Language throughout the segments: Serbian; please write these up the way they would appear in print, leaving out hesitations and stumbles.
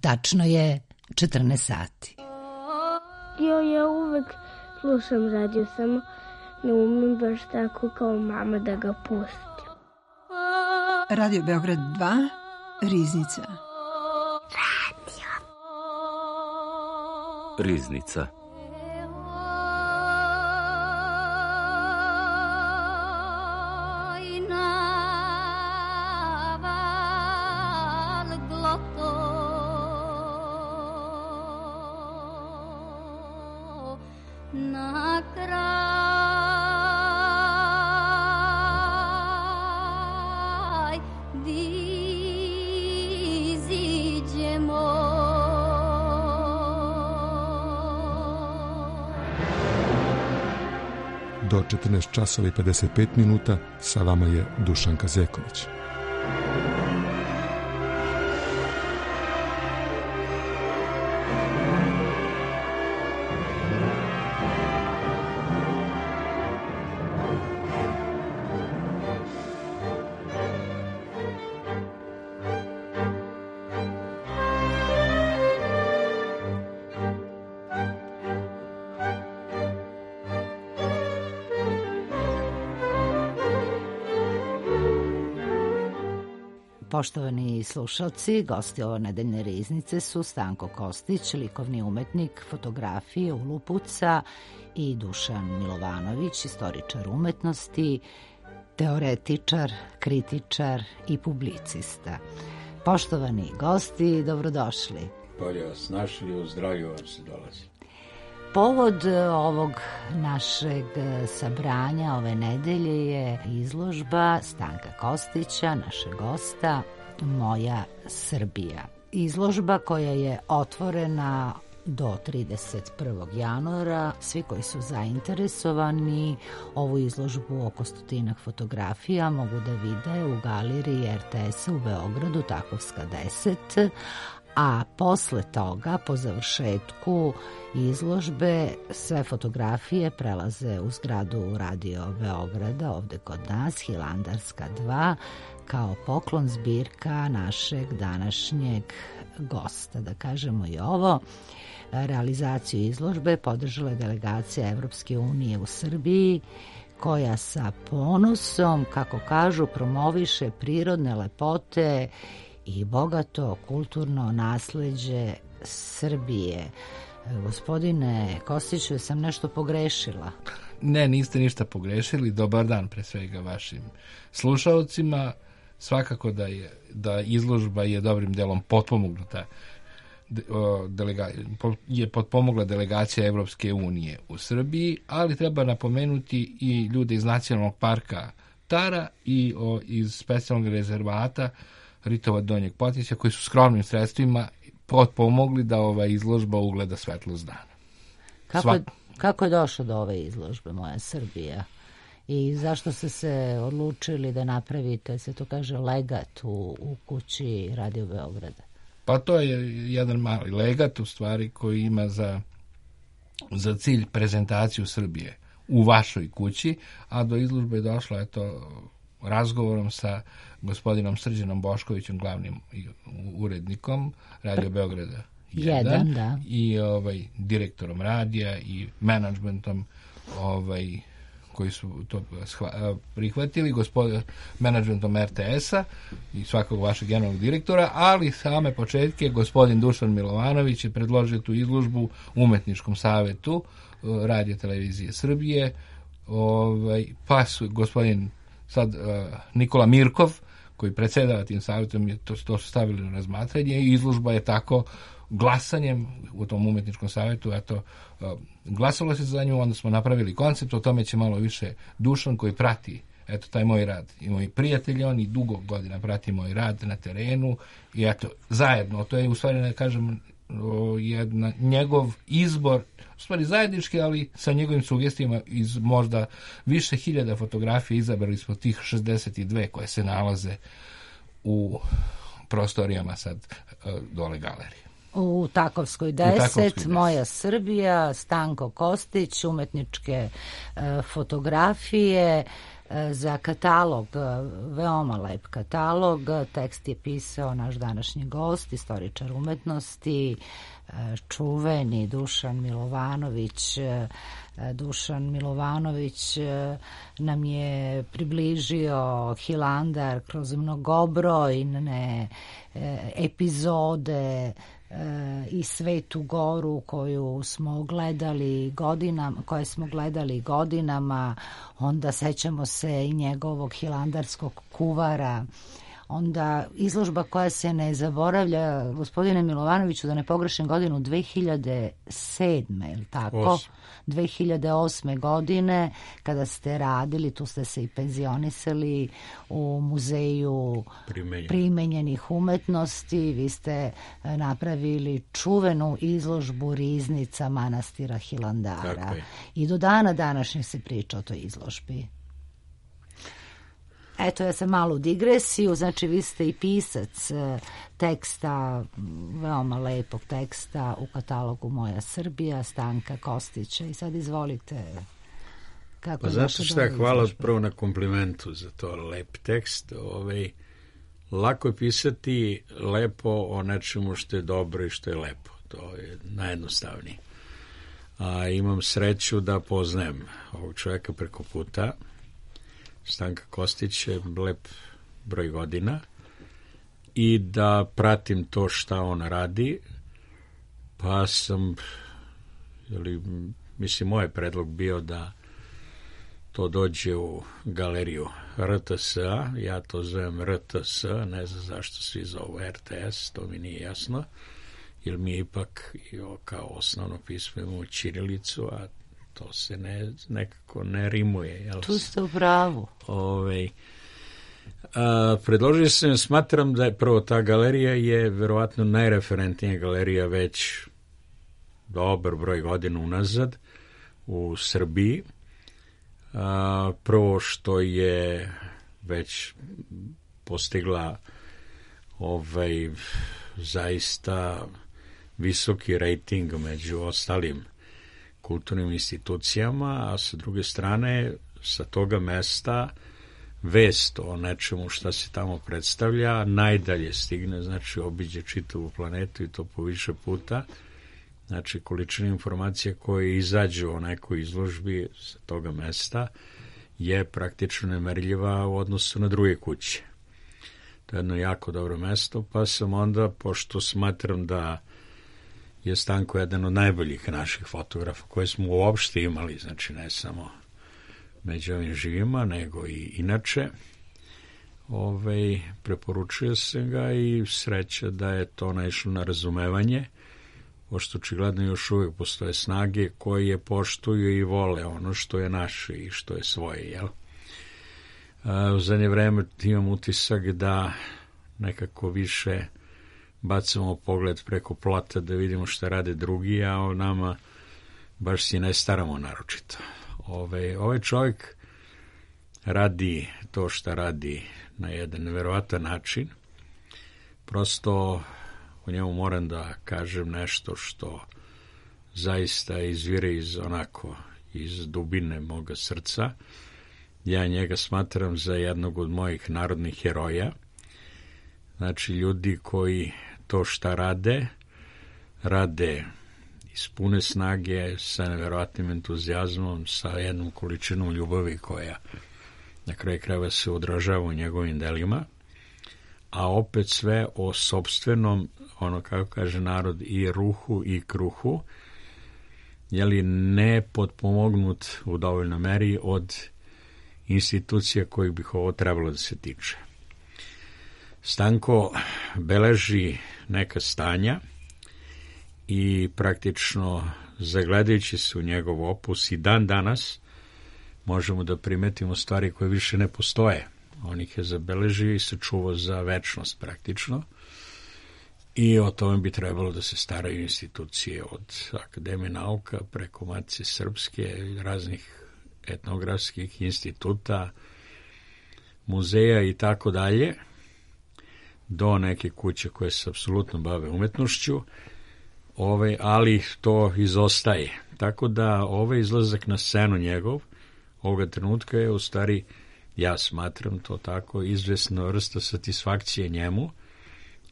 Tačno je 14 sati. Ja uvek slušam radio, samo ne umem baš tako kao mama da ga pustim. Radio Beograd 2, Riznica. Riznica. Do 14 časova i 55 minuta sa vama je Dušanka Zeković. Poštovani slušalci, gosti ove nedeljne Riznice su Stanko Kostić, likovni umetnik fotografije Ulupuca, i Dušan Milovanović, istoričar umetnosti, teoretičar, kritičar i publicista. Poštovani gosti, dobrodošli. Bolje vas našli, u zdravlju vam se dolazi. Povod ovog našeg sabranja ove nedelje je izložba Stanka Kostića, našeg gosta, Moja Srbija. Izložba koja je otvorena do 31. januara. Svi koji su zainteresovani ovu izložbu oko 100 fotografija mogu da vide u galeriji RTS-a u Beogradu, Takovska 10, a posle toga, po završetku izložbe, sve fotografije prelaze u zgradu Radio Beograda, ovde kod nas, Hilandarska 2, kao poklon zbirka našeg današnjeg gosta. Da kažemo i ovo, realizaciju izložbe podržala je delegacija Evropske unije u Srbiji, koja sa ponosom, kako kažu, promoviše prirodne lepote i bogato kulturno nasleđe Srbije. Gospodine Kostiću, sam nešto pogrešila? Ne, niste ništa pogrešili. Dobar dan pre svega vašim slušalcima. Svakako da izložba je dobrim delom potpomognuta, je potpomogla delegacija Evropske unije u Srbiji, ali treba napomenuti i ljude iz Nacionalnog parka Tara i iz specijalnog rezervata Ritova Donjeg Potića, koji su skromnim sredstvima potpomogli da ova izložba ugleda svetlost dana. Kako je došlo do ove izložbe Moja Srbija? I zašto ste se odlučili da napravite, se to kaže, legat u kući Radio Beograda? Pa to je jedan mali legat, u stvari, koji ima za cilj prezentaciju Srbije u vašoj kući, a do izložbe je došlo razgovorom sa gospodinom Srđanom Boškovićem, glavnim urednikom Radio Beograda 1, da. I direktorom radija i menadžmentom koji su to prihvatili, menadžmentom RTS-a i svakog vašeg generalnog direktora, ali same početke gospodin Dušan Milovanović je predložio tu izložbu Umetničkom savetu Radio Televizije Srbije, pa su gospodin Nikola Mirkov, koji predsjedava tim savjetom, je to su stavili na razmatranje i izložba je tako glasanjem u tom umetničkom savjetu, glasalo se za nju, onda smo napravili koncept, o tome će malo više Dušan, koji prati taj moj rad i moji prijatelji, oni dugo godina prati moj rad na terenu i zajedno, to je u stvari, ne kažem, njegov izbor, u stvari zajednički, ali sa njegovim sugestijama iz možda više hiljada fotografija izabrali smo tih 62 koje se nalaze u prostorijama sad dole galerije. U Takovskoj 10, Moja Srbija, Stanko Kostić, umetničke fotografije. za katalog, veoma lep katalog. Tekst je pisao naš današnji gost, istoričar umetnosti, čuveni Dušan Milovanović. Dušan Milovanović nam je približio Hilandar kroz mnogobrojne epizode i Svetu Goru koje smo gledali godinama, onda sećamo se i njegovog hilandarskog kuvara, onda izložba koja se ne zaboravlja, gospodine Milovanoviću, da ne pogrešim godinu, 2007. je li tako? 2008. godine, kada ste radili, tu ste se i penzionisali u Muzeju primenjenih umetnosti, vi ste napravili čuvenu izložbu Riznica manastira Hilandara. I do dana današnjeg se priča o toj izložbi. Eto, ja sam malo u digresiju, znači vi ste i pisac teksta, veoma lepog teksta u katalogu Moja Srbija, Stanka Kostića. I sad izvolite. Kako zato što hvala prvo na komplimentu za to lep tekst. Lako je pisati lepo o nečemu što je dobro i što je lepo. To je najjednostavnije. A imam sreću da poznajem ovog čovjeka preko puta. Stanka Kostić je lep broj godina i da pratim to šta on radi, pa sam, moj predlog bio da to dođe u galeriju RTS-a, ja to zovem RTS, ne znam zašto svi zovu RTS, to mi nije jasno, jer mi ipak kao osnovno pismo imamo ćirilicu, a to se nekako ne rimuje. Jel? Tu ste u pravu. Predložio sam, smatram da je prvo ta galerija je verovatno najreferentnija galerija već dobar broj godina unazad u Srbiji. Prvo što je već postigla zaista visoki rejting među ostalim kulturnim institucijama, a sa druge strane sa toga mesta vest o nečemu šta se tamo predstavlja najdalje stigne, znači obiđe čitavu planetu i to po više puta. Znači količina informacija koje izađu o nekoj izložbi sa toga mesta je praktično nemerljiva u odnosu na druge kuće. To je jedno jako dobro mesto, pa sam onda, pošto smatram da je Stanko jedan od najboljih naših fotografa koje smo uopšte imali, znači ne samo među ovim živima, nego i inače. Preporučio sam ga i sreća da je to naišlo na razumevanje, pošto očigledno još uvijek postoje snage koje poštuju i vole ono što je naše i što je svoje, jel? U zadnje vreme imam utisak da nekako više bacamo pogled preko plota da vidimo šta rade drugi, a o nama baš si ne staramo naročito. Ovaj čovjek radi to šta radi na jedan neverovatan način. Prosto o njemu moram da kažem nešto što zaista izvire iz dubine moga srca. Ja njega smatram za jednog od mojih narodnih heroja. Znači, ljudi koji to šta rade iz pune snage, sa neverovatnim entuzijazmom, sa jednom količinom ljubavi koja na kraju krajeva se odražava u njegovim delima, a opet sve o sopstvenom, kako kaže narod, i ruhu i kruhu, ne potpomognut u dovoljnoj meri od institucija kojih bih ovo trebalo da se tiče. Stanko beleži neka stanja i praktično zagledajući se u njegov opus i dan danas možemo da primetimo stvari koje više ne postoje. On ih je zabeležio i sačuvao za večnost praktično i o tome bi trebalo da se staraju institucije od Akademije nauka preko Matice Srpske, raznih etnografskih instituta, muzeja i tako dalje, do neke kuće koje se apsolutno bave umetnošću, ali to izostaje. Tako da ovaj izlazak na scenu njegov, ovoga trenutka je u stvari ja smatram to tako, izvesna vrsta satisfakcije njemu,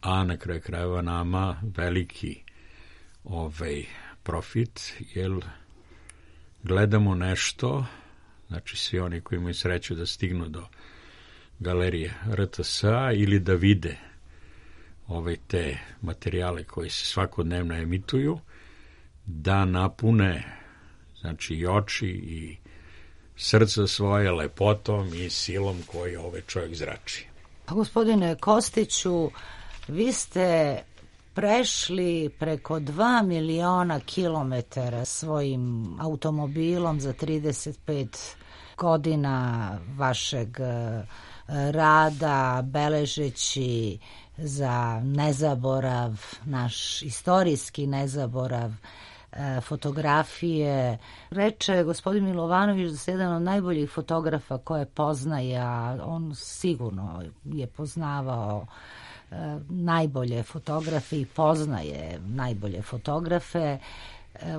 a na kraju krajeva nama veliki profit, jer gledamo nešto, znači svi oni koji imaju sreću da stignu do galerije RTS-a ili da vide te materijale koji se svakodnevno emituju, da napune, znači, i oči i srce svoje lepotom i silom koju čovjek zrači. A gospodine Kostiću, vi ste prešli preko 2 miliona kilometara svojim automobilom za 35 godina vašeg rada, beležeći za nezaborav, naš istorijski nezaborav, fotografije. Reče gospodin Milovanović da se jedan od najboljih fotografa koje poznaje, a on sigurno je poznavao najbolje fotografe i poznaje najbolje fotografe,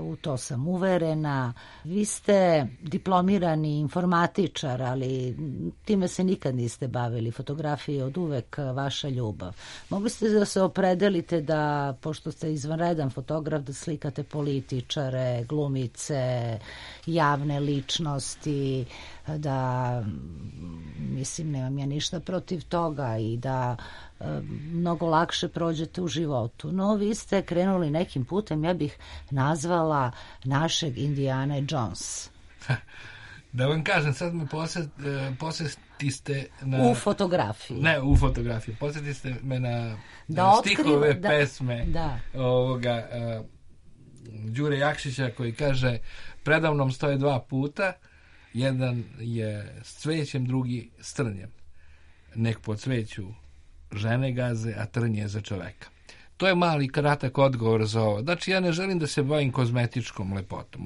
u to sam uverena. Vi ste diplomirani informatičar, ali time se nikad niste bavili. Fotografija je od uvek vaša ljubav. Mogli ste da se opredelite da, pošto ste izvanredan fotograf, da slikate političare, glumice, javne ličnosti, da, mislim, nemam ja ništa protiv toga i da mnogo lakše prođete u životu. No, vi ste krenuli nekim putem, ja bih nazvala našeg Indiana Jones. Da vam kažem, sad me posjeti ste na... U fotografiji. Ne, u fotografiji. Posjeti ste me na stihove pesme ovoga Đure Jakšića koji kaže: predavnom stoje 2 puta, jedan je s cvećem, drugi s trnjem. Nek po cveću žene gaze, a trnje za čoveka. To je mali kratak odgovor za ovo. Znači, ja ne želim da se bavim kozmetičkom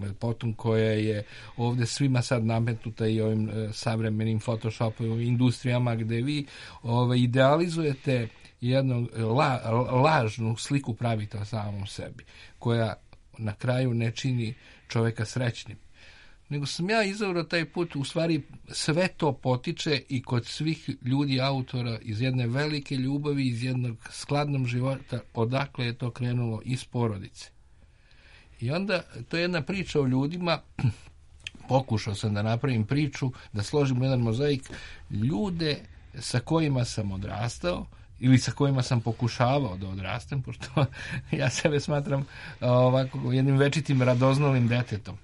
lepotom koja je ovdje svima sad nametnuta i ovim savremenim photoshopovim industrijama gde vi idealizujete jednu lažnu sliku, pravite o samom sebi, koja na kraju ne čini čoveka srećnim. Nego sam ja izabrao taj put, u stvari sve to potiče i kod svih ljudi, autora, iz jedne velike ljubavi, iz jednog skladnog života, odakle je to krenulo, iz porodice. I onda, to je jedna priča o ljudima, pokušao sam da napravim priču, da složim jedan mozaik, ljude sa kojima sam odrastao, ili sa kojima sam pokušavao da odrastem, pošto ja sebe smatram ovako jednim večitim radoznalim detetom,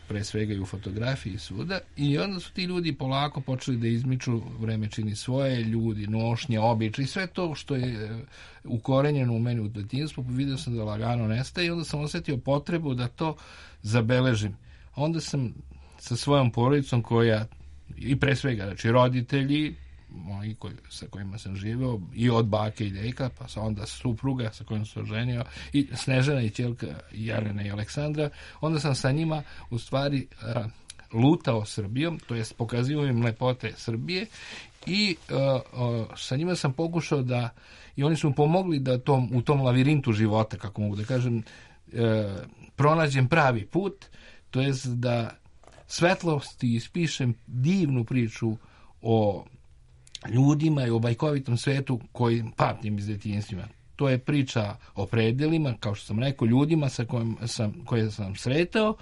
pre svega i u fotografiji i svuda, i onda su ti ljudi polako počeli da izmiču, vreme čini svoje, ljudi, nošnje, običaji, sve to što je ukorenjeno u meni u detinjstvu, vidio sam da lagano nestaje i onda sam osjetio potrebu da to zabeležim. Onda sam sa svojom porodicom koja, i pre svega, znači roditelji moji sa kojima sam živeo, i od bake i deka, pa sa onda supruga sa kojom sam ženio, i Snežana i ćelka Jelena i Aleksandra, onda sam sa njima u stvari lutao Srbijom, to jest pokazivao im lepote Srbije, i sa njima sam pokušao da, i oni su mi pomogli da u tom lavirintu života, kako mogu da kažem, pronađem pravi put, to jest da svetlosti ispišem divnu priču o ljudima i o bajkovitom svetu koji pamtim iz detinjstva. To je priča o predelima, kao što sam rekao, ljudima koje sam sretao,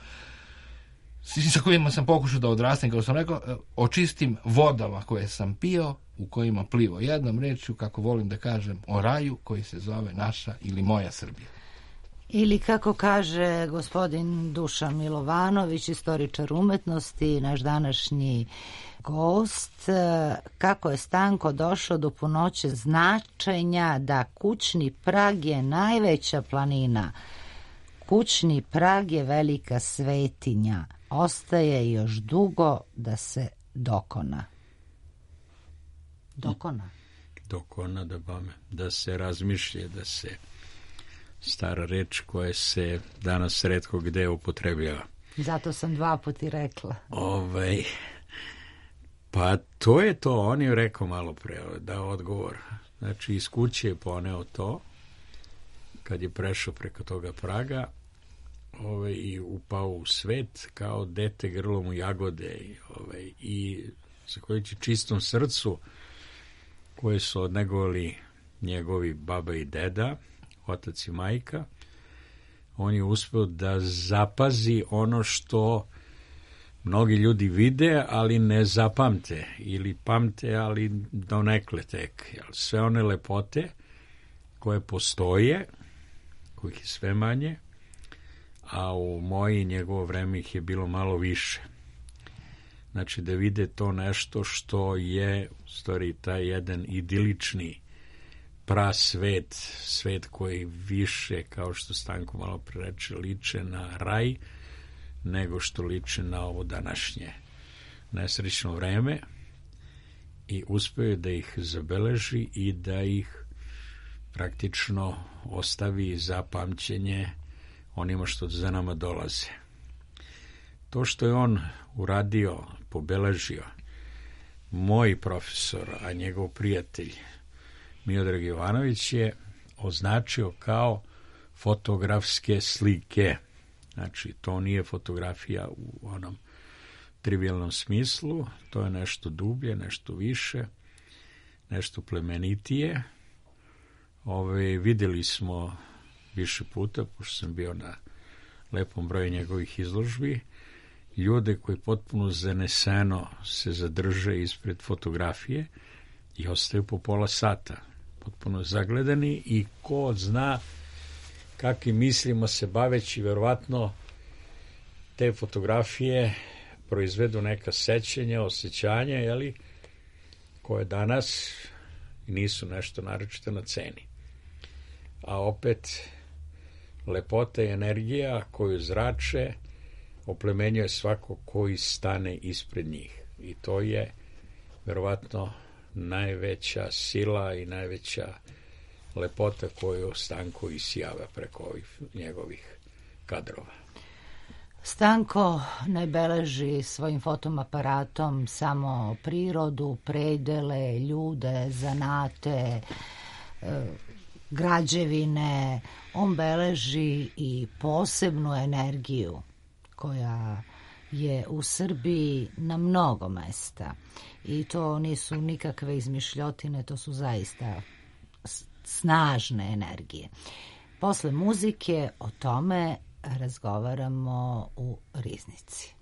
sa kojima sam pokušao da odrastem, kao sam rekao, o čistim vodama koje sam pio, u kojima plivo. Jednom rečju, kako volim da kažem, o raju koji se zove naša ili moja Srbija. Ili kako kaže gospodin Dušan Milovanović, istoričar umetnosti, naš današnji gost, kako je Stanko došao do punoće značenja da kućni prag je najveća planina. Kućni prag je velika svetinja. Ostaje još dugo da se dokona. Dokona, da se razmišlja, da se stara reč koja se danas retko gde upotrebljava. Zato sam 2 puta rekla. Pa to je to, on je rekao malo pre, dao odgovor. Znači, iz kuće je poneo to, kad je prešao preko toga praga i upao u svet kao dete grlom u jagode i zahvaljujući čistom srcu koje su odnegovali njegovi baba i deda, otac i majka, on je uspeo da zapazi ono što mnogi ljudi vide, ali ne zapamte, ili pamte, ali donekle tek. Sve one lepote koje postoje, kojih je sve manje, a u moje i njegovo vreme ih je bilo malo više. Znači da vide to nešto što je u stvari taj jedan idilični prasvet, svet koji više, kao što Stanko malo prereče, liče na raj, nego što liče na ovo današnje nesrećno vreme, i uspeo da ih zabeleži i da ih praktično ostavi za pamćenje onima što za nama dolaze. To što je on uradio, pobeležio, moj profesor, a njegov prijatelj Miodrag Jovanović je označio kao fotografske slike. Znači, to nije fotografija u onom trivijalnom smislu, to je nešto dublje, nešto više, nešto plemenitije. Videli smo više puta, pošto sam bio na lepom broju njegovih izložbi, ljude koji potpuno zaneseno se zadrže ispred fotografije i ostaju po pola sata, potpuno zagledani, i ko zna kakvim mislima se baveći, verovatno te fotografije proizvedu neka sećanja, osjećanja, koje danas nisu nešto naročito na ceni. A opet, lepota i energija koju zrače oplemenjuje svako koji stane ispred njih. I to je verovatno najveća sila i najveća lepota koju Stanko isijava preko ovih njegovih kadrova. Stanko ne beleži svojim fotoaparatom samo prirodu, predele, ljude, zanate, građevine. On beleži i posebnu energiju koja je u Srbiji na mnogo mesta. I to nisu nikakve izmišljotine, to su zaista snažne energije. Posle muzike o tome razgovaramo u Riznici.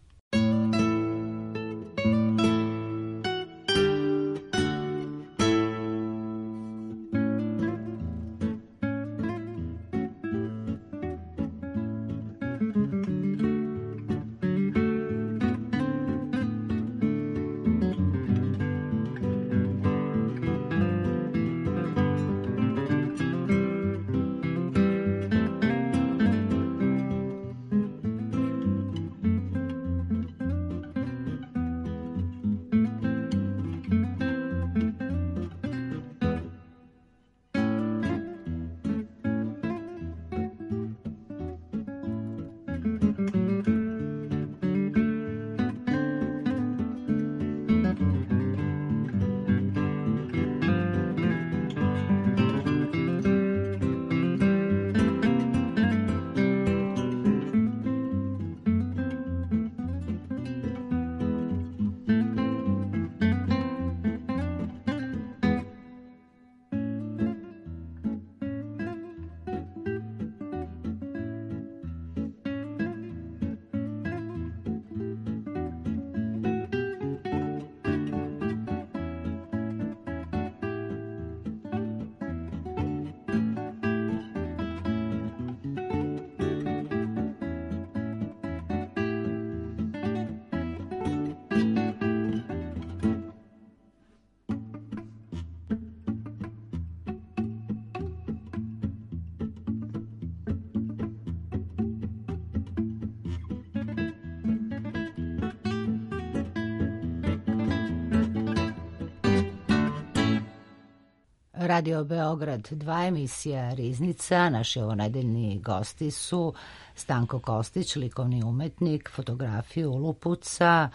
Radio Beograd 2, emisija Riznica. Naši ovonedeljni gosti su Stanko Kostić, likovni umetnik, fotografiju lupuca,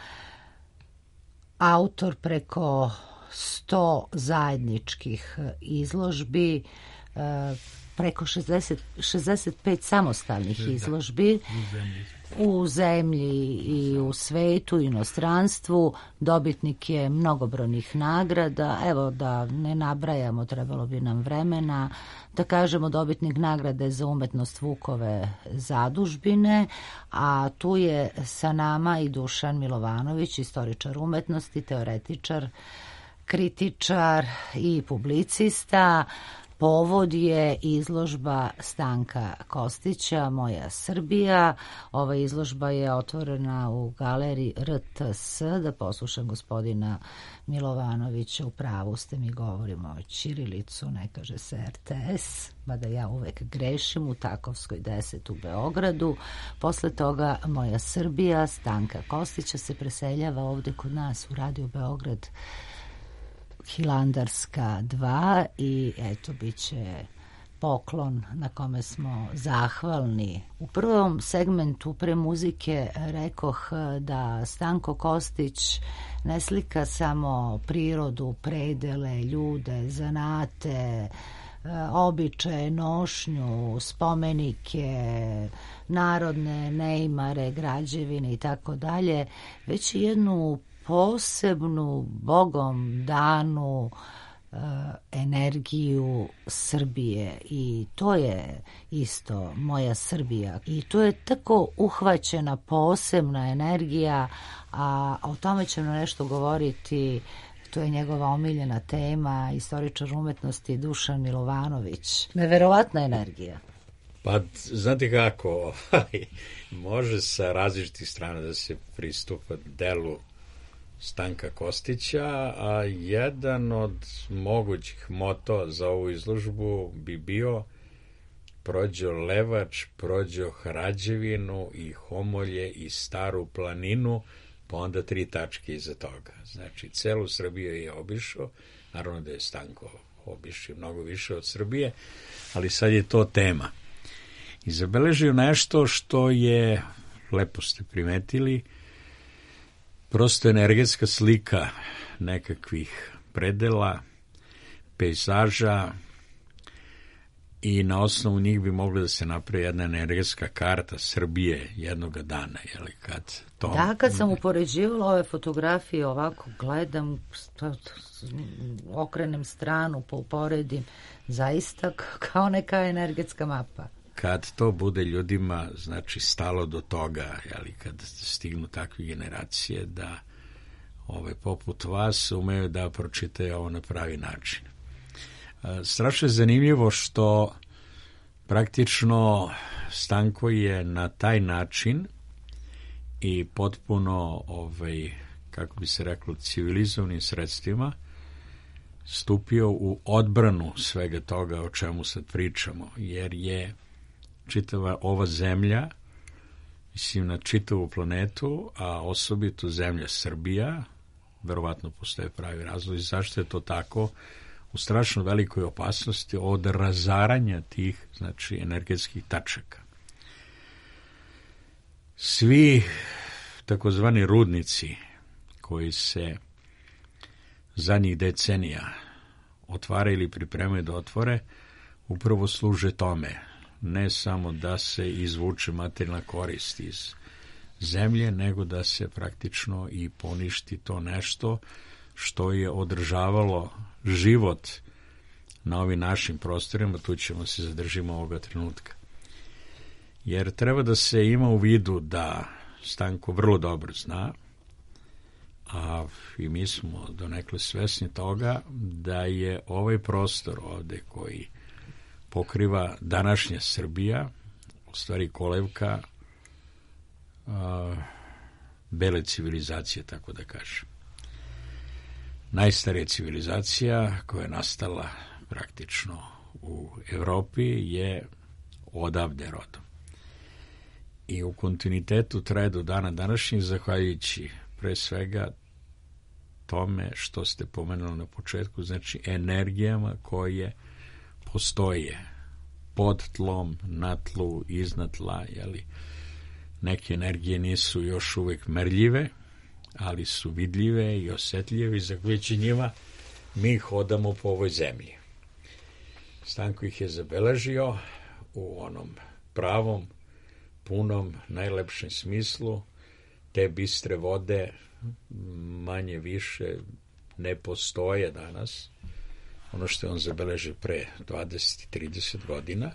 autor preko 100 zajedničkih izložbi, preko 65 samostalnih izložbi u zemlji i u svetu, inostranstvu. Dobitnik je mnogobrojnih nagrada. Evo, da ne nabrajamo, trebalo bi nam vremena. Da kažemo, dobitnik nagrade za umetnost Vukove zadužbine, a tu je sa nama i Dušan Milovanović, istoričar umetnosti, teoretičar, kritičar i publicista. Povod je izložba Stanka Kostića, Moja Srbija. Ova izložba je otvorena u galeriji RTS. Da poslušam gospodina Milovanovića, u pravu ste, mi govorimo o ćirilicu, ne kaže se RTS, mada ja uvek grešim, u Takovskoj 10 u Beogradu. Posle toga Moja Srbija Stanka Kostića se preseljava ovde kod nas u Radio Beograd Hilandarska 2 i eto, bit će poklon na kome smo zahvalni. U prvom segmentu pre muzike rekoh da Stanko Kostić ne slika samo prirodu, predele, ljude, zanate, običaje, nošnju, spomenike, narodne neimare, građevine i tako dalje, već i jednu posebnu, Bogom danu energiju Srbije, i to je isto Moja Srbija. I to je tako uhvaćena posebna energija, a o tome ćemo nešto govoriti. To je njegova omiljena tema, istoričar umetnosti Dušan Milovanović. Neverovatna energija. Pa, znate kako, može sa različitih strana da se pristupa delu Stanka Kostića, a jedan od mogućih moto za ovu izložbu bi bio prođo Levač, prođo Hrađevinu i Homolje i Staru planinu, pa onda 3 tačke iza toga. Znači, celu Srbiju je obišao, naravno da je Stanko obišao mnogo više od Srbije, ali sad je to tema. I zabeležio nešto što je, lepo ste primetili, prosto energetska slika nekakvih predela, pejzaža, i na osnovu njih bi mogla da se napravi jedna energetska karta Srbije jednoga dana. Jeli, kad sam upoređivala ove fotografije, ovako gledam, okrenem stranu, pa uporedim, zaista kao neka energetska mapa. Kad to bude ljudima, znači, stalo do toga, jeli, kad stignu takve generacije da poput vas umeju da pročitaju ovo na pravi način. Strašno je zanimljivo što praktično Stanko je na taj način i potpuno, kako bi se reklo, civilizovanim sredstvima stupio u odbranu svega toga o čemu sad pričamo, jer je čitava ova zemlja, mislim na čitavu planetu, a osobito zemlja Srbija, verovatno postoje pravi razlozi zašto je to tako, u strašno velikoj opasnosti od razaranja tih, znači, energetskih tačaka. Svi takozvani rudnici koji se zadnjih decenija otvaraju ili pripremaju da otvore, upravo služe tome. Ne samo da se izvuče materijalna korist iz zemlje, nego da se praktično i poništi to nešto što je održavalo život na ovim našim prostorima. Tu ćemo se zadržimo ovoga trenutka. Jer treba da se ima u vidu da Stanko vrlo dobro zna, a i mi smo donekle svesni toga, da je ovaj prostor ovde koji pokriva današnja Srbija, u stvari kolevka bele civilizacije, tako da kažem. Najstarija civilizacija koja je nastala praktično u Evropi je odavde rodom. I u kontinuitetu traje do dana današnjih, zahvaljujući pre svega tome što ste pomenuli na početku, znači energijama koje postoje pod tlom, na tlu, iznad tla, jeli. Neke energije nisu još uvek merljive, ali su vidljive i osetljive, i zahvaljujući njima mi hodamo po ovoj zemlji. Stanko ih je zabeležio u onom pravom punom, najlepšem smislu. Te bistre vode manje više ne postoje danas. Ono što je on zabeležio pre 20-30 godina,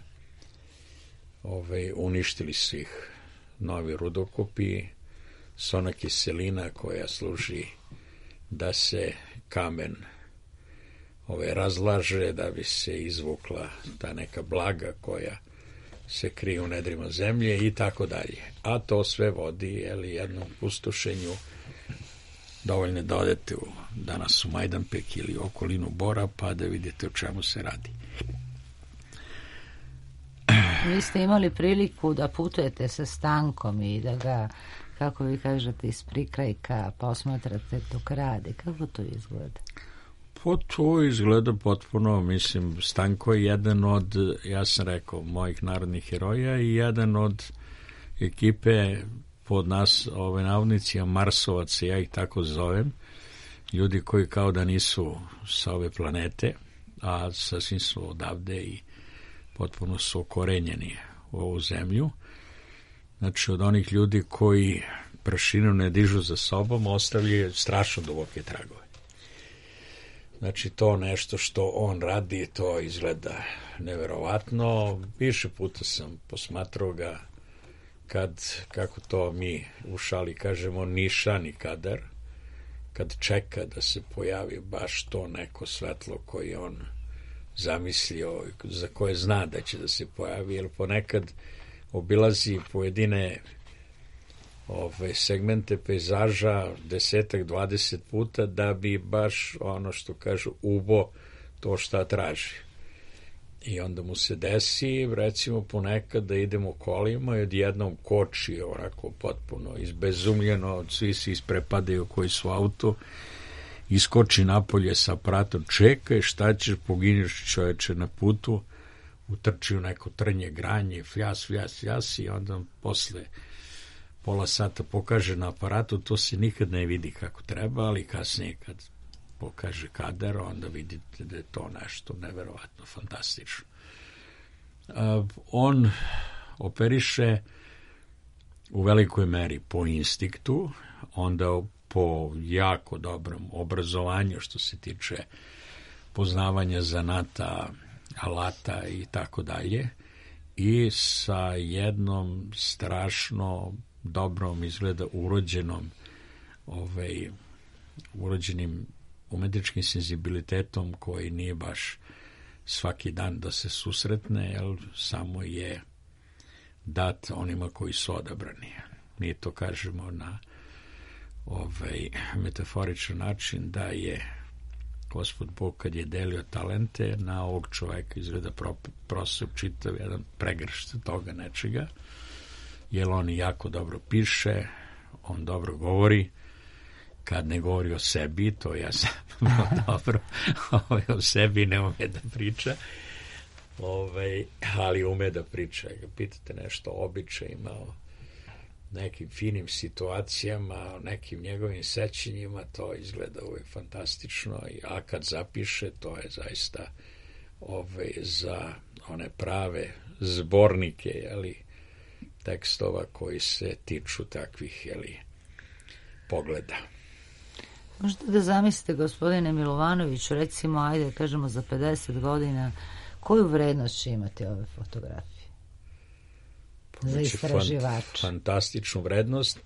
uništili su ih novi rudokopi, sona kiselina koja služi da se kamen razlaže, da bi se izvukla ta neka blaga koja se krije u nedrima zemlje i tako dalje. A to sve vodi jednom pustošenju. Dovoljno da odete danas u Majdanpek ili okolinu Bora pa da vidite o čemu se radi. Vi ste imali priliku da putujete sa Stankom i da ga, kako vi kažete, iz prikrajka posmatrate dok radi. Kako to izgleda? Pa to izgleda potpuno, mislim, Stanko je jedan od, ja sam rekao, mojih narodnih heroja i jedan od ekipe pod nas, navodnici, Marsovaca, ja ih tako zovem, ljudi koji kao da nisu sa ove planete, a sasvim su odavde i potpuno su okorenjeni u ovu zemlju. Znači, od onih ljudi koji prašinu ne dižu za sobom, ostavljaju strašno duboke tragove. Znači, to nešto što on radi, to izgleda neverovatno. Više puta sam posmatrao ga kako to mi u šali kažemo, nišani kadar, kad čeka da se pojavi baš to neko svetlo koje on zamislio, za koje zna da će da se pojavi, jer ponekad obilazi pojedine segmente pejzaža 10-20 puta da bi baš ono što kažu ubo to šta traži. I onda mu se desi, recimo ponekad da idemo kolima i odjednom koči onako potpuno izbezumljeno, svi se isprepadaju koji su auto, iskoči napolje sa aparatom, čekaj šta ćeš, poginješ čoveče na putu, utrči u neko trnje, granje, fjas i onda posle pola sata pokaže na aparatu, to se nikad ne vidi kako treba, ali kasnije kad pokaže kadar, onda vidite da je to nešto neverovatno fantastično. On operiše u velikoj meri po instinktu, onda po jako dobrom obrazovanju što se tiče poznavanja zanata, alata i tako dalje, i sa jednom strašno dobrom izgleda urođenim umetničkim senzibilitetom koji nije baš svaki dan da se susretne, jer samo je dat onima koji su odabrani. Mi to kažemo na metaforičan način da je Gospod Bog kad je delio talente na ovog čoveka izgleda prosep čitav jedan pregršt toga nečega, jer on jako dobro piše, on dobro govori, kad ne govori o sebi, to ja sam dobro, o sebi ne ume da priča, ali ume da priča. Pitate nešto o običajima, o nekim finim situacijama, o nekim njegovim sećanjima, to izgleda uvijek fantastično, a kad zapiše, to je zaista za one prave zbornike, tekstova koji se tiču takvih, pogleda. Možete da zamislite, gospodine Milovanoviću, recimo, ajde, kažemo za 50 godina, koju vrednost će imati ove fotografije za istraživača? Fantastičnu vrednost.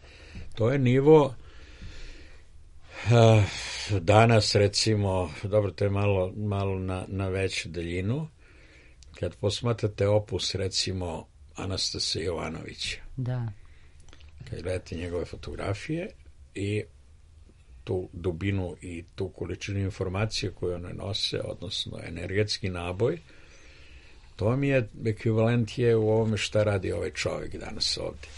To je nivo danas, recimo, dobro, to je malo na veću daljinu. Kad posmatrate opus, recimo, Anastasa Jovanovića. Da. Kad gledate njegove fotografije i tu dubinu i tu količinu informacije koju one nose, odnosno energetski naboj, to mi je ekvivalent je u ovome šta radi ovaj čovjek danas ovdje.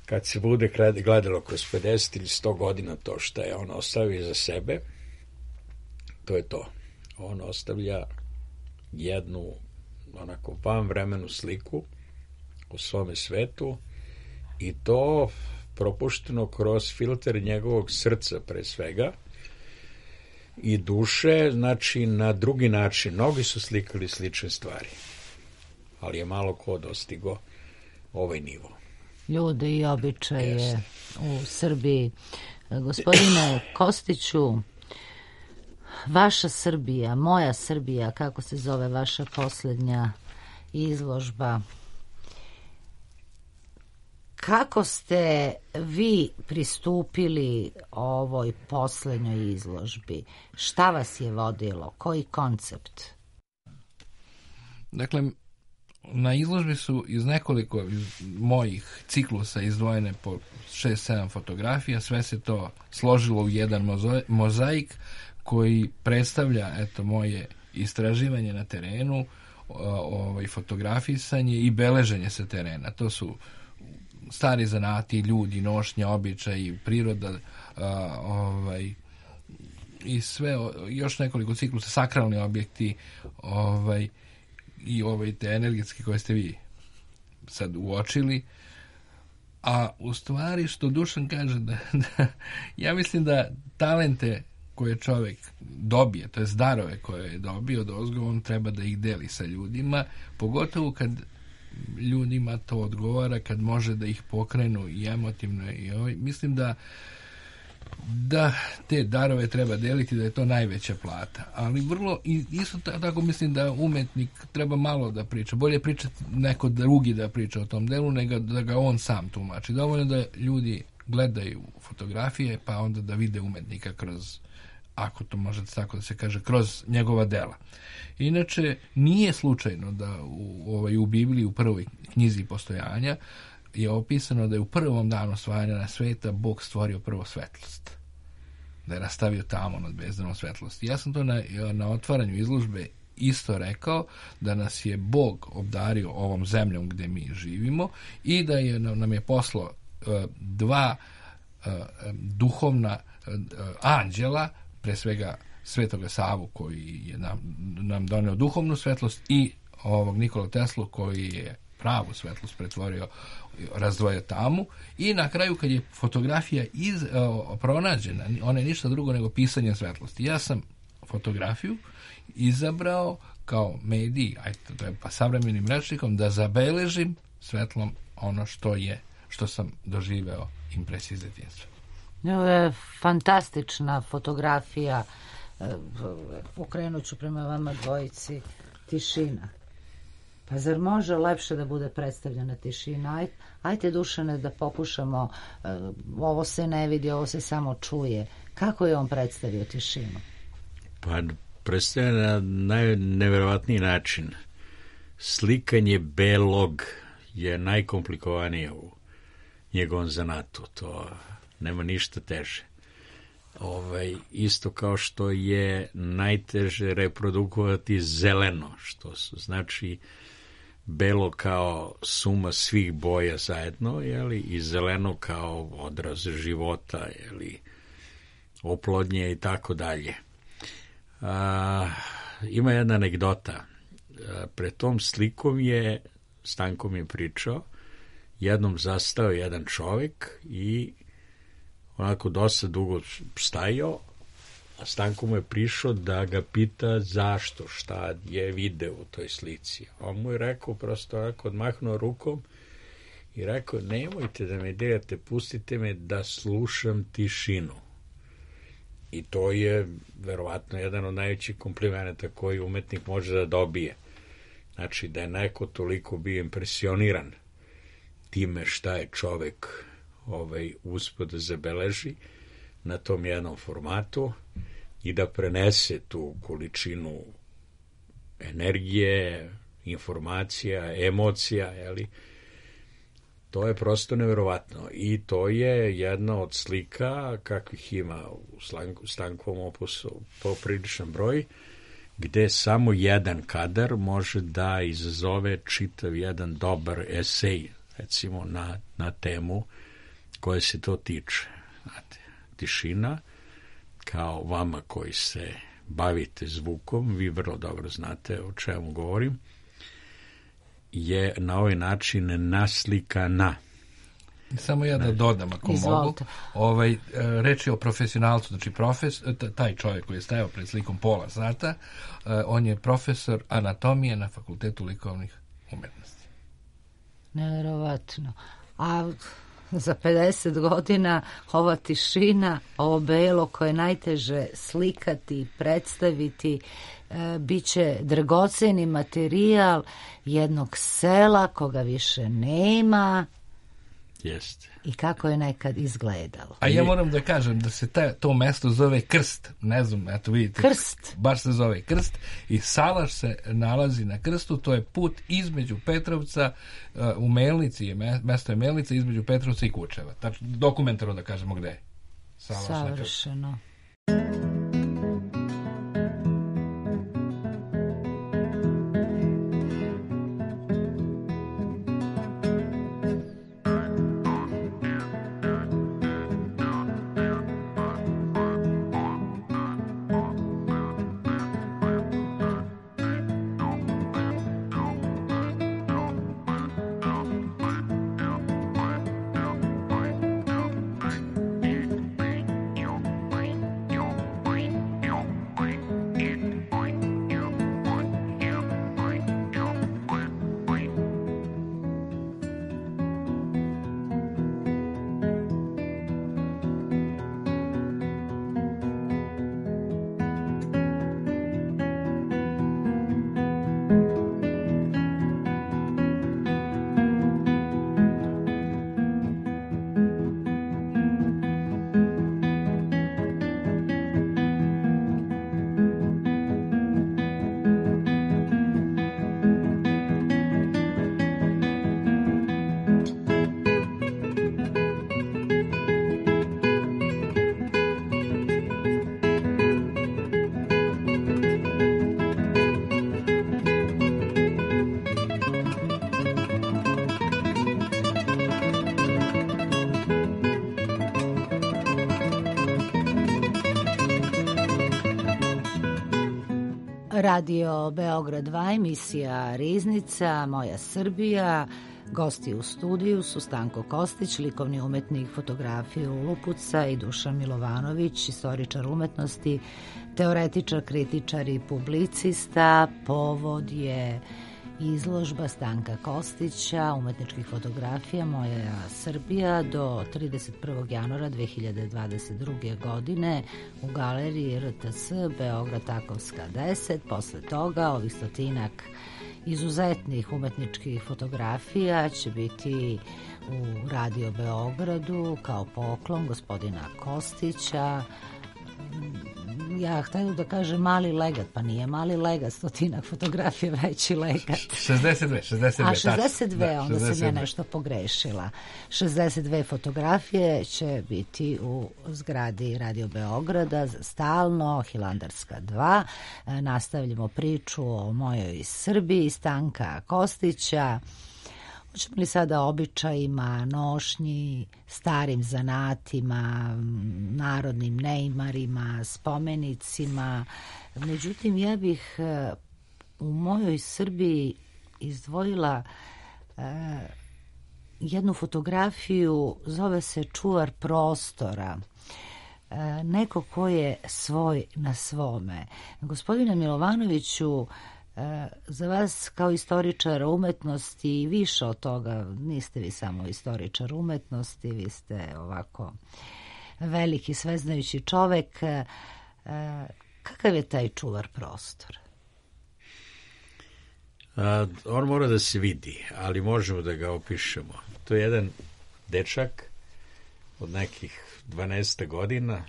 Kad se bude gledalo kroz 50 ili 100 godina to što je on ostavio za sebe, to je to. On ostavlja jednu onako vanvremenu sliku o svome svetu i to propušteno kroz filter njegovog srca pre svega i duše, znači na drugi način. Mnogi su slikali slične stvari, ali je malo ko dostigo ovaj nivo. ljude i običaje u Srbiji. Gospodine Kostiću, vaša Srbija, moja Srbija, kako se zove vaša posljednja izložba, kako ste vi pristupili ovoj posljednjoj izložbi? Šta vas je vodilo? Koji koncept? Dakle, na izložbi su iz nekoliko mojih ciklusa izdvojene po 6-7 fotografija, sve se to složilo u jedan mozaik koji predstavlja moje istraživanje na terenu, fotografisanje i beleženje sa terena. To su stari zanati, ljudi, nošnje, običaji, priroda, i sve, još nekoliko ciklusa, sakralni objekti, i te energetske koje ste vi sad uočili. A u stvari što Dušan kaže da ja mislim da talente koje čovjek dobije, to je darove koje je dobio odozgo, on treba da ih deli sa ljudima, pogotovo kad ljudima to odgovara, kad može da ih pokrenu i emotivno i mislim da te darove treba deliti, da je to najveća plata. Ali vrlo, isto tako mislim da umetnik treba malo da priča. Bolje pričati neko drugi da priča o tom delu, nego da ga on sam tumači. Dovoljno da ljudi gledaju fotografije, pa onda da vide umetnika kroz, ako to može tako da se kaže, kroz njegova dela. Inače, nije slučajno da u Bibliji, u prvoj knjizi postojanja, je opisano da je u prvom danu stvaranja sveta Bog stvorio prvo svetlost. Da je rastavio tamo nad bezdanom svetlosti. Ja sam to na otvaranju izložbe isto rekao, da nas je Bog obdario ovom zemljom gde mi živimo i da nam je poslao dva duhovna anđela, pre svega Svetoga Savu koji je nam doneo duhovnu svetlost i ovog Nikolu Teslu koji je pravu svetlost pretvorio, razdvojio tamu, i na kraju kad je fotografija pronađena, ona je ništa drugo nego pisanje svetlosti. Ja sam fotografiju izabrao kao medij, pa savremenim rečnikom, da zabeležim svetlom ono što sam doživeo impresije iz djetinjstva. Ovo je fantastična fotografija. Okrenut ću prema vama dvojici. Tišina. Pa zar može lepše da bude predstavljena tišina? Ajte, Dušane, da pokušamo. Ovo se ne vidi, ovo se samo čuje. Kako je on predstavio tišinu? Pa predstavlja na najneverovatniji način. Slikanje belog je najkomplikovanije u njegovom zanatu. To nema ništa teže. Isto kao što je najteže reprodukovati zeleno, što znači belo kao suma svih boja zajedno, i zeleno kao odraz života, oplodnje i tako dalje. Ima jedna anegdota. Pred tom slikom Stanko mi je pričao, jednom zastao jedan čovjek i onako dosta dugo stajao, a Stanko mu je prišao da ga pita zašto, šta je video u toj slici. On mu je rekao, prosto onako odmahnuo rukom i rekao, nemojte da me dirate, pustite me da slušam tišinu. I to je verovatno jedan od najvećih komplimenata koji umetnik može da dobije. Znači da je neko toliko bio impresioniran time šta je čovek uspeo da zabeleži na tom jednom formatu i da prenese tu količinu energije, informacija, emocija, to je prosto neverovatno. I to je jedna od slika kakvih ima u Stankovom opusu popriličan broj, gde samo jedan kadar može da izazove čitav jedan dobar esej, recimo na temu koje se to tiče. Znate, tišina, kao vama koji se bavite zvukom, vi vrlo dobro znate o čemu govorim, je na ovaj način naslikana. Samo ja da dodam, ako Izvolite. Mogu. Reč je o profesionalcu, znači taj čovjek koji je stajao pred slikom pola sata, on je profesor anatomije na Fakultetu likovnih umetnosti. Nevjerovatno. a za 50 godina ova tišina, ovo belo koje je najteže slikati, predstaviti, bit će dragoceni materijal jednog sela koga više nema. Jeste. I kako je nekad izgledalo. A ja moram da kažem da se to mesto zove Krst. Ne znam, eto vidite. Krst. Baš se zove Krst. I salaš se nalazi na Krstu. To je put između Petrovca u Melnici. Mesto je Melnica između Petrovca i Kučeva. Tačno, dokumentarno da kažemo gde je. Savršeno. Radio Beograd 2, emisija Riznica, Moja Srbija. Gosti u studiju su Stanko Kostić, likovni umetnik fotografije Lupuca, i Dušan Milovanović, istoričar umetnosti, teoretičar, kritičar i publicista. Povod je izložba Stanka Kostića, umetničkih fotografija Moja Srbija do 31. januara 2022. godine u galeriji RTS Beograd Takovska 10. Posle toga ovih 100 izuzetnih umetničkih fotografija će biti u Radio Beogradu kao poklon gospodina Kostića. Ja htjela da kažem mali legat, pa nije mali legat, 100 fotografija, veći legat. 62. A 62, onda 62. sam ja nešto pogrešila. 62 fotografije će biti u zgradi Radio Beograda, stalno, Hilandarska 2. Nastavljamo priču o mojoj Srbiji, Stanka Kostića. Hoćemo li sada običajima, nošnji, starim zanatima, narodnim neimarima, spomenicima. Međutim, ja bih u mojoj Srbiji izdvojila jednu fotografiju, zove se Čuvar prostora. Neko ko je svoj na svome. Gospodine Milovanoviću, za vas kao istoričar umetnosti i više od toga, niste vi samo istoričar umetnosti, vi ste ovako veliki sveznajući čovek. Kakav je taj čuvar prostora? On mora da se vidi, ali možemo da ga opišemo. To je jedan dečak od nekih 12 godina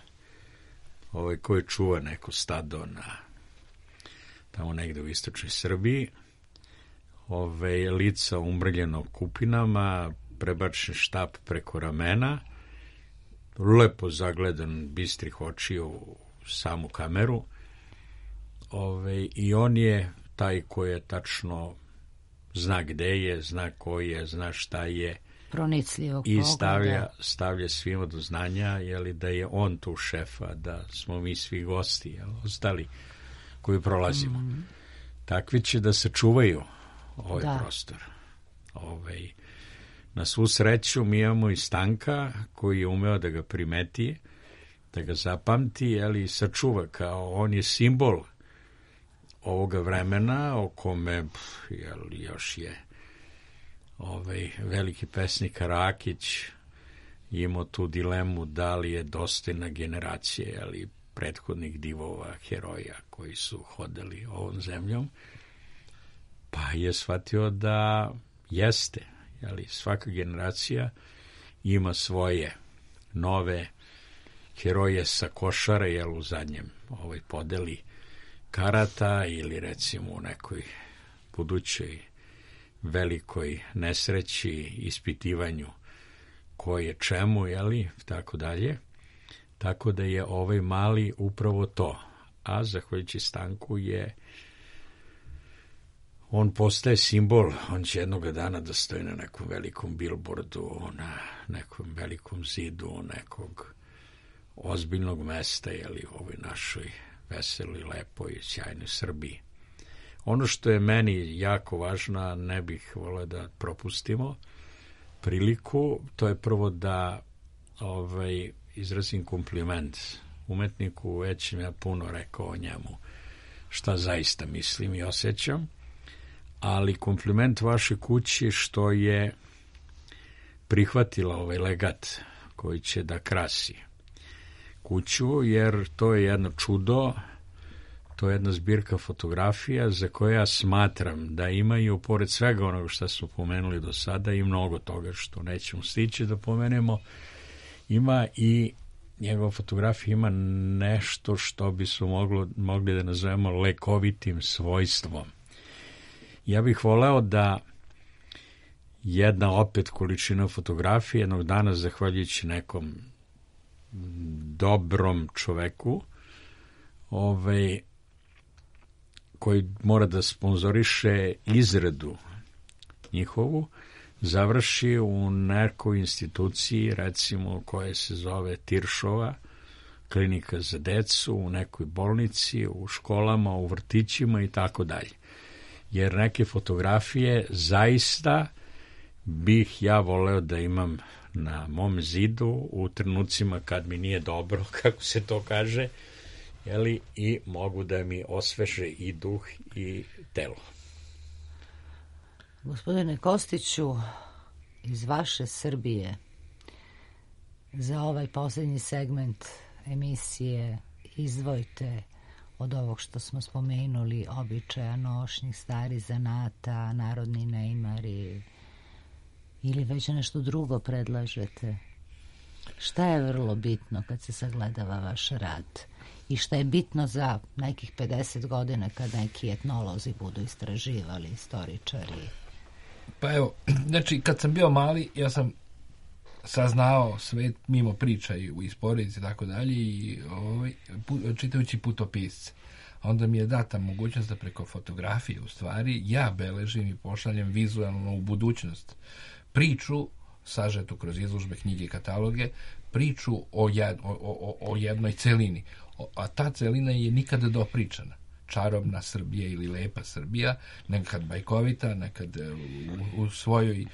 koji čuva neko stado tamo negde u istočnoj Srbiji, lica umrljeno kupinama, prebačen štap preko ramena, lepo zagledan bistrih očiju u samu kameru, i on je taj koji je tačno zna gde je, zna ko je, zna šta je, pronicljivog i pogleda. stavlja svima do znanja da je on tu šefa, da smo mi svi gosti, ostali koji prolazimo. Takvi će da se čuvaju prostor. Na svu sreću mi imamo i Stanka koji je umeo da ga primeti, da ga zapamti, i sačuva, kao on je simbol ovoga vremena o kome još je veliki pesnik Rakić imao tu dilemu da li je dostojna generacija, ali prethodnih divova, heroja koji su hodali ovom zemljom, pa je shvatio da jeste, jeli, svaka generacija ima svoje nove heroje sa Košara, jel, u zadnjem podeli karata ili recimo u nekoj budućoj velikoj nesreći, ispitivanju ko je čemu, jeli, tako dalje. Tako da je ovaj mali upravo to. A zahvaljujući Stanku on postaje simbol, on će jednog dana da stoji na nekom velikom billboardu, na nekom velikom zidu nekog ozbiljnog mesta, jeli, u ovoj našoj veseloj, lepoj, sjajnoj Srbiji. Ono što je meni jako važno, ne bih voleo da propustimo priliku, to je prvo da izrazim kompliment umetniku, već sam ja puno rekao o njemu šta zaista mislim i osjećam, ali kompliment vaše kući što je prihvatila ovaj legat koji će da krasi kuću, jer to je jedno čudo, to je jedna zbirka fotografija za koje ja smatram da imaju, pored svega onoga što smo pomenuli do sada, i mnogo toga što nećemo stići da pomenemo, ima i njegova fotografija ima nešto što bi su mogli da nazovemo lekovitim svojstvom. Ja bih voleo da jedna opet količina fotografije jednog dana, zahvaljujući nekom dobrom čoveku, koji mora da sponzoriše izradu njihovu, završi u nekoj instituciji, recimo, koja se zove Tiršova, klinika za decu, u nekoj bolnici, u školama, u vrtićima i tako dalje. Jer neke fotografije zaista bih ja voleo da imam na mom zidu u trenucima kad mi nije dobro, kako se to kaže, jeli, i mogu da mi osveže i duh i telo. Gospodine Kostiću, iz vaše Srbije za ovaj posljednji segment emisije izdvojite od ovog što smo spomenuli, običaja, nošnjih, starih zanata, narodni neimari, ili već nešto drugo predlažete? Šta je vrlo bitno kad se sagledava vaš rad? I šta je bitno za nekih 50 godina kad neki etnolozi budu istraživali, istoričari? Pa evo, znači, kad sam bio mali, ja sam saznao svet mimo priča i iz porodice i tako dalje, i čitajući putopisce. Onda mi je data mogućnost da preko fotografije, u stvari, ja beležim i pošaljem vizualno u budućnost priču, sažetu kroz izložbe, knjige i kataloge, priču o jednoj celini. A ta celina je nikada dopričana. Čarobna Srbija ili lepa Srbija, nekad bajkovita, nekad u svojoj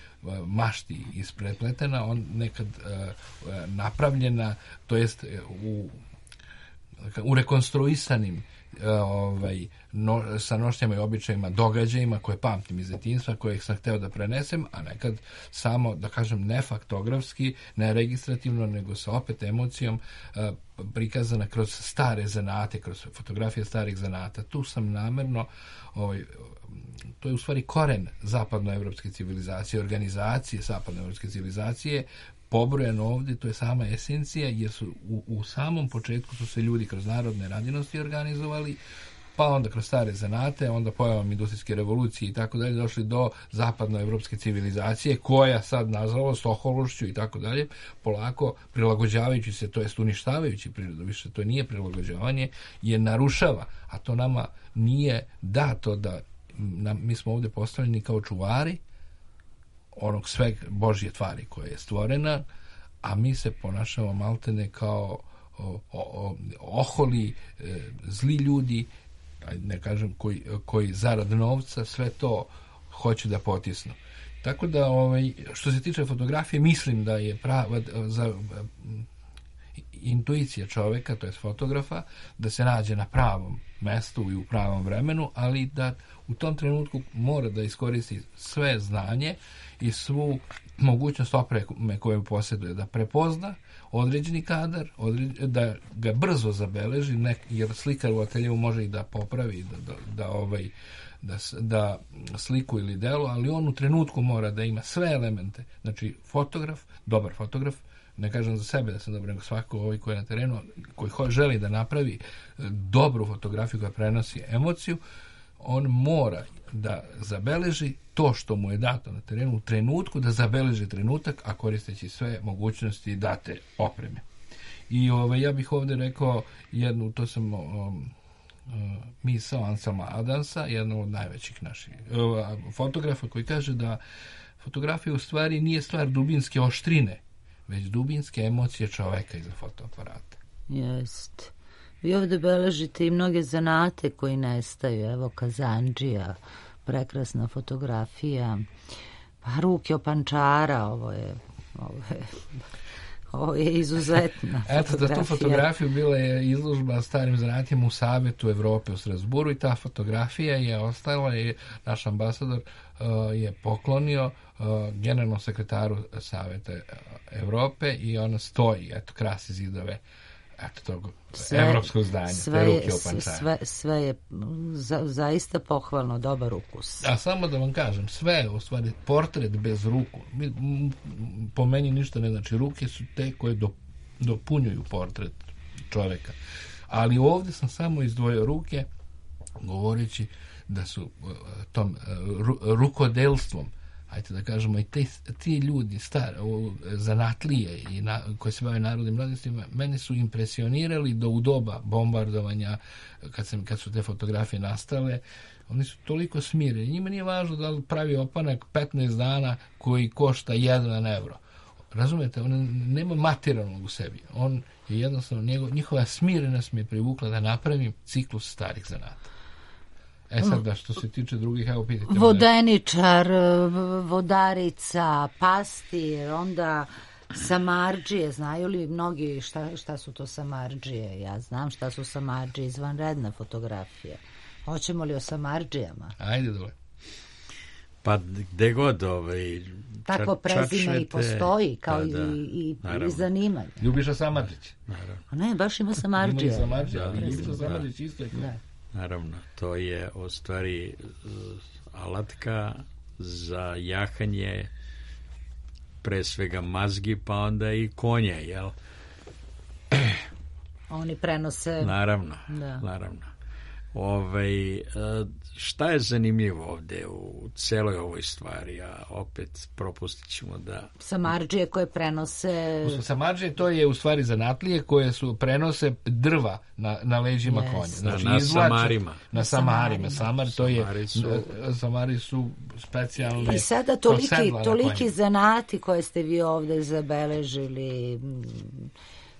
mašti isprepletena, nekad napravljena, to jest u rekonstruisanim sa nošnjama i običajima, događajima koje pamtim iz detinjstva, koje sam hteo da prenesem, a nekad samo, da kažem, ne faktografski, ne registrativno, nego sa opet emocijom prikazana kroz stare zanate, kroz fotografije starih zanata. Tu sam namerno, to je u stvari koren zapadnoevropske civilizacije, organizacije zapadnoevropske civilizacije, pobrojano ovdje, to je sama esencija, jer su u samom početku su se ljudi kroz narodne radinosti organizovali, pa onda kroz stare zanate, onda pojavom industrijske revolucije i tako dalje, došli do zapadnoevropske civilizacije, koja sad, nažalost, ohološću i tako dalje, polako prilagođavajući se, to jest uništavajući prirodu, više to nije prilagođavanje, je narušava, a to nama nije dato da mi smo ovdje postavljeni kao čuvari onog sve Božje tvari koja je stvorena, a mi se ponašamo maltene kao oholi, zli ljudi, ne kažem, koji zarad novca sve to hoće da potisnu. Tako da, što se tiče fotografije, mislim da je intuicija čoveka, to je fotografa, da se nađe na pravom mestu i u pravom vremenu, ali da u tom trenutku mora da iskoristi sve znanje i svu mogućnost opreme koju posjeduje, da prepozna određeni kadar, da ga brzo zabeleži, jer slikar u ateljevu može i da popravi, da sliku ili delo, ali on u trenutku mora da ima sve elemente. Znači, dobar fotograf, ne kažem za sebe da sam dobar, nego svako koji je na terenu, koji želi da napravi dobru fotografiju koja prenosi emociju, on mora da zabeleži to što mu je dato na terenu u trenutku, da zabeleži trenutak, a koristeći sve mogućnosti date opreme. I ja bih ovdje rekao jednu, to sam misao Anselma Adamsa, jednog od najvećih naših fotografa, koji kaže da fotografija u stvari nije stvar dubinske oštrine, već dubinske emocije čoveka iza fotoaparata. Jest. Vi ovdje beležite i mnoge zanate koji nestaju. Evo, kazandžija, prekrasna fotografija. Pa ruke opančara, ovo je izuzetna fotografija. Eto, za tu fotografiju bila je izložba starim zanatima u Savetu Evrope u Strasburu i ta fotografija je ostala i naš ambasador je poklonio generalnom sekretaru Saveta Evrope i ona stoji, eto, krasi zidove tog evropskog zdanja, te ruke opančara. Sve je zaista pohvalno, dobar ukus. A samo da vam kažem, sve je u stvari portret bez ruku. Po meni ništa ne znači. Ruke su te koje dopunjuju portret čoveka. Ali ovdje sam samo izdvojio ruke, govoreći da su tom rukodelstvom, ajte da kažemo, i ti ljudi zanatlije i koji se bave narodnim radostima, mene su impresionirali da u doba bombardovanja, kad su te fotografije nastale, oni su toliko smireni. Njima nije važno da li pravi opanak 15 dana koji košta 1 euro. Razumete, on nema materijalnog u sebi. On je jednostavno, njihova smirenost mi je privukla da napravim ciklus starih zanata. Sad, što se tiče drugih, evo pitajte. Vodeničar, vodarica, pastir, onda samardžije. Znaju li mnogi šta su to samardžije? Ja znam šta su samardžije, izvanredna fotografija. Hoćemo li o samardžijama? Ajde dole. Pa gde god tako prezime i postoji, kao i zanimanje. Ljubiša Samardžić. Ne, baš ima samardžije. Ima samardžije, ali Ljubiša Samardžić isto je. Naravno, to je u stvari alatka za jahanje pre svega mazgi, pa onda i konje, jel? Oni prenose... Naravno. Šta je zanimljivo ovdje u celoj ovoj stvari, a opet propustit ćemo da... Samardžije koje prenose... Samardžije to je u stvari zanatlije koje prenose drva na leđima konja. Znači, na samarima. Na samarima. Samari su specijalne... I sada toliki zanati koje ste vi ovdje zabeležili,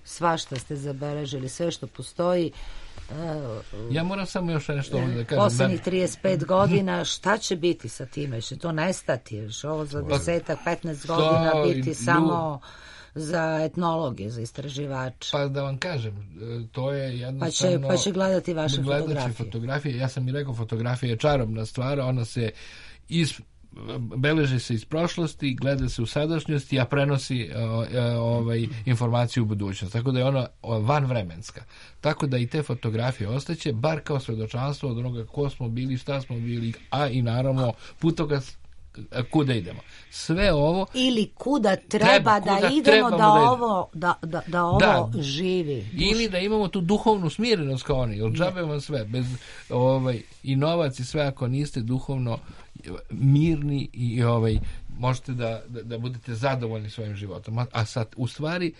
svašta ste zabeležili, sve što postoji. Ja moram samo još nešto da kažem. Poslednjih 35 godina, šta će biti sa time? Će to nestati? Ovo za 10-15 godina biti samo za etnologe, za istraživače? Pa da vam kažem, to je jednostavno... Pa će gledati vaše fotografije. Ja sam i rekao, fotografija je čarobna stvar, ona se beleži se iz prošlosti, gleda se u sadašnjosti, a prenosi informaciju u budućnost. Tako da je ona vanvremenska. Tako da i te fotografije ostaće, bar kao svedočanstvo od onoga ko smo bili, šta smo bili, a i naravno putokaz kuda idemo. Sve ovo... Ili kuda treba da idemo da ovo živi. Ili da imamo tu duhovnu smirenost kao oni. Jer džabe vam sve. Bez i novac i sve, ako niste duhovno mirni i možete da budete zadovoljni svojim životom. A sad, u stvari,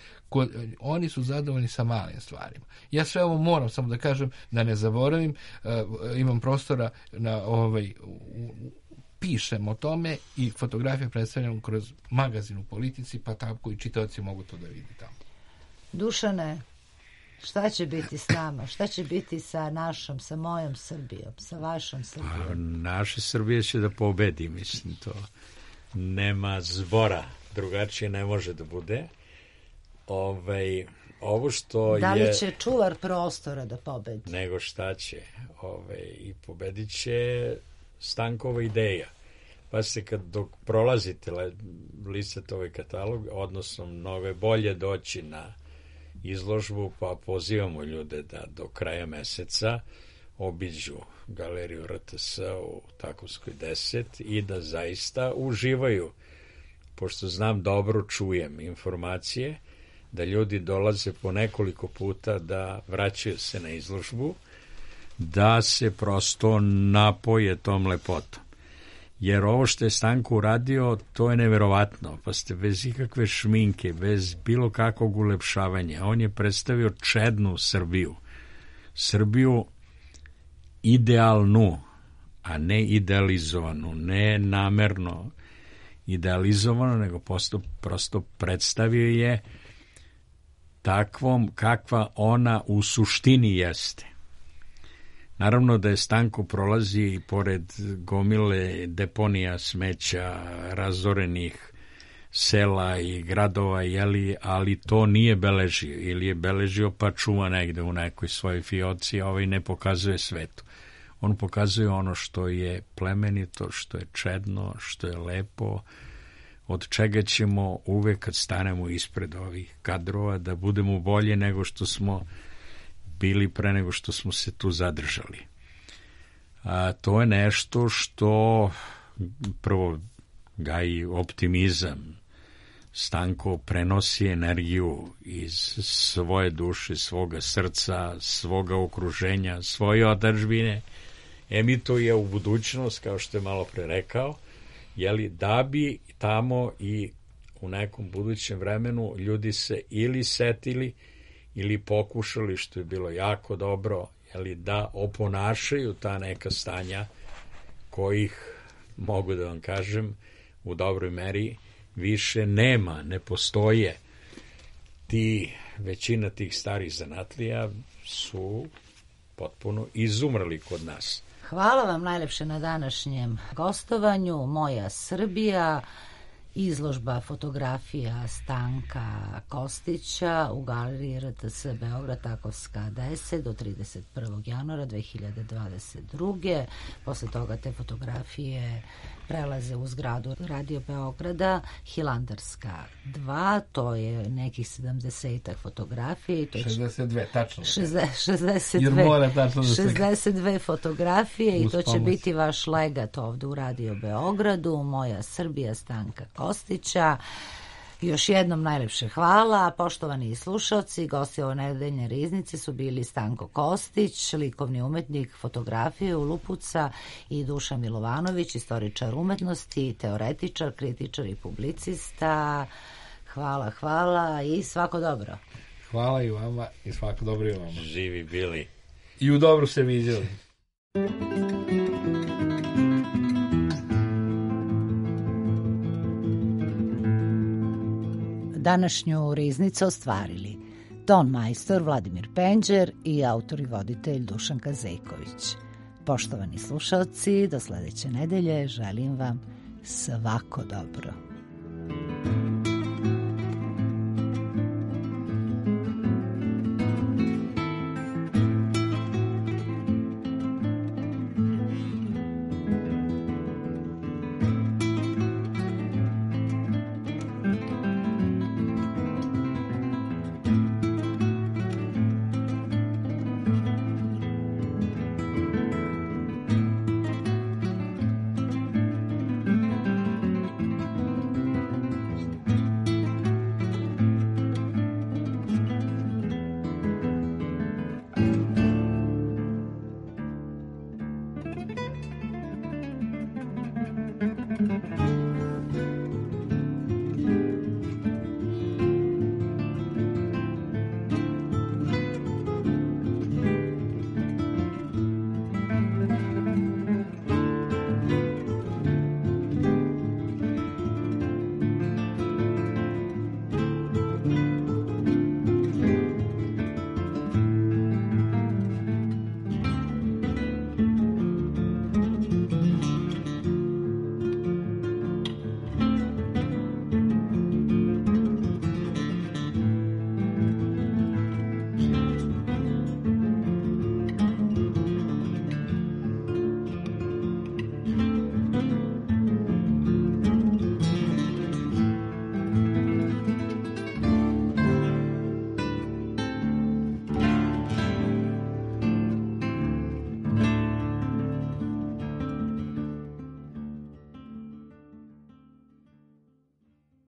oni su zadovoljni sa malim stvarima. Ja sve ovo moram samo da kažem, da ne zaboravim, imam prostora na pišem o tome i fotografije predstavljam kroz magazin u Politici, pa tako i čitaoci mogu to da vidi tamo. Dušane, šta će biti s nama? Šta će biti sa našom, sa mojom Srbijom, sa vašom Srbijom? Naša Srbija će da pobedi, mislim, to nema zbora, drugačije ne može da bude. ovo što da li je... će čuvar prostora da pobedi? Nego šta će. I pobedit će Stankova ideja. Pa se dok prolazite listate ovaj katalog, odnosno mnogo je bolje doći na izložbu, pa pozivamo ljude da do kraja meseca obiđu galeriju RTS u Takovskoj 10 i da zaista uživaju, pošto znam dobro, čujem informacije da ljudi dolaze po nekoliko puta da vraćaju se na izložbu, da se prosto napoje tom lepotom. Jer ovo što je Stanko uradio, to je neverovatno. Pa ste bez ikakve šminke, bez bilo kakvog ulepšavanja. On je predstavio čednu Srbiju. Srbiju idealnu, a ne idealizovanu, ne namerno idealizovano, nego prosto predstavio je takvom kakva ona u suštini jeste. Naravno da je Stanko prolazi i pored gomile deponija smeća, razorenih sela i gradova, ali to nije beležio, ili je beležio pa čuva negde u nekoj svojoj fioci, a ne pokazuje svetu. On pokazuje ono što je plemenito, što je čedno, što je lepo, od čega ćemo uvek kad stanemo ispred ovih kadrova da budemo bolje nego što smo bili pre nego što smo se tu zadržali. To je nešto što prvo gaji optimizam. Stanko prenosi energiju iz svoje duše, svoga srca, svoga okruženja, svoje otadžbine, emituje u budućnost, kao što je malo pre rekao, da bi tamo i u nekom budućem vremenu ljudi se ili setili ili pokušali, što je bilo jako dobro, da oponašaju ta neka stanja kojih, mogu da vam kažem, u dobroj meri više nema, ne postoje. Većina tih starih zanatlija su potpuno izumrli kod nas. Hvala vam najlepše na današnjem gostovanju. Moja Srbija, izložba fotografija Stanka Kostića u galeriji RTS Beograd, Takovska 10 do 31. januara 2022. Posle toga te fotografije prelaze u zgradu Radio Beograda, Hilandarska 2, to je nekih 70 fotografije. 62, tačno. 62 fotografije i to će biti vaš legat ovde u Radio Beogradu. Moja Srbija Stanka Kostića. Još jednom najlepše hvala. Poštovani slušalci, gosti ove nedeljne riznice su bili Stanko Kostić, likovni umetnik fotografije u Lupuca, i Dušan Milovanović, istoričar umetnosti, teoretičar, kritičar i publicista. Hvala i svako dobro. Hvala i vama i svako dobro i vama. Živi bili. I u dobru se vidjeli. Današnju riznicu ostvarili ton majstor Vladimir Penđer i autor i voditelj Dušan Kazejković. Poštovani slušalci, do sledeće nedelje želim vam svako dobro.